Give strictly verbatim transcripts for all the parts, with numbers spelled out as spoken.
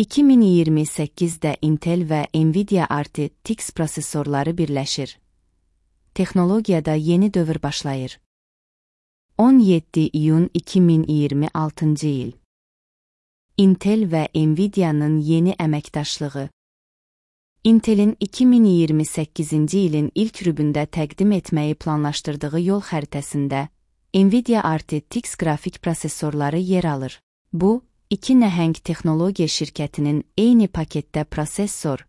iki min iyirmi səkkizdə Intel və Nvidia R T X prosesorları birləşir. Texnologiyada yeni dövr başlayır. on yeddi iyun iki min iyirmi altıncı il. Intel və Nvidia'nın yeni əməkdaşlığı. Intel'in iki min iyirmi səkkizinci ilin ilk rübündə təqdim etməyi planlaşdırdığı yol xəritəsində Nvidia R T X qrafik prosesorları yer alır. Bu, iki nəhəng texnologiya şirkətinin eyni paketdə prosesor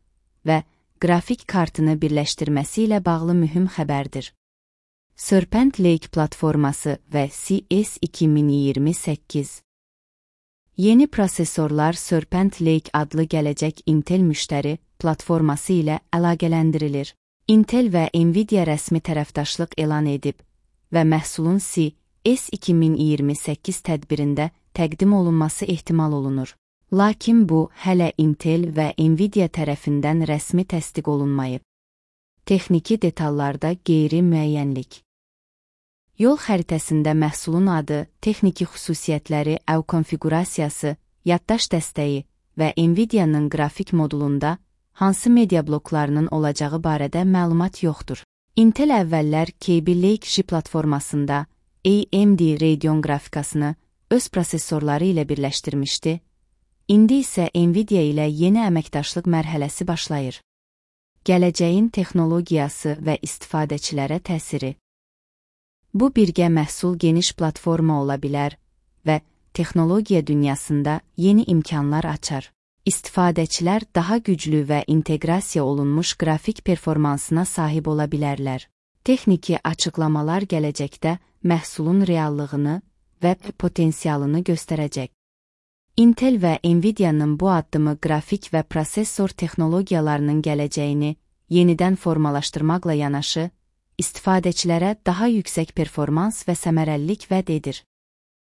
və qrafik kartını birləşdirməsi ilə bağlı mühüm xəbərdir. Serpent Lake platforması və C S iki min iyirmi səkkiz. Yeni prosesorlar Serpent Lake adlı gələcək Intel müştəri platforması ilə əlaqələndirilir. Intel və Nvidia rəsmi tərəfdaşlıq elan edib və məhsulun C S iki min iyirmi səkkiz tədbirində təqdim olunması ehtimal olunur. Lakin bu, hələ Intel və Nvidia tərəfindən rəsmi təsdiq olunmayıb. Texniki detallarda qeyri-müəyyənlik. Yol xəritəsində məhsulun adı, texniki xüsusiyyətləri, əv konfiqurasiyası, yaddaş dəstəyi və Nvidia'nın qrafik modulunda hansı media bloklarının olacağı barədə məlumat yoxdur. Intel əvvəllər Kaby Lake J platformasında A M D Radeon qrafikasını öz prosesorları ilə birləşdirmişdi. İndi isə Nvidia ilə yeni əməkdaşlıq mərhələsi başlayır. Gələcəyin texnologiyası və istifadəçilərə təsiri. Bu birgə məhsul geniş platforma ola bilər və texnologiya dünyasında yeni imkanlar açar. İstifadəçilər daha güclü və inteqrasiya olunmuş qrafik performansına sahib ola bilərlər. Texniki açıqlamalar gələcəkdə məhsulun reallığını və potensialını göstərəcək. Intel və Nvidia'nın bu addımı qrafik və prosesor texnologiyalarının gələcəyini yenidən formalaşdırmaqla yanaşı, istifadəçilərə daha yüksək performans və səmərəlilik vəd edir.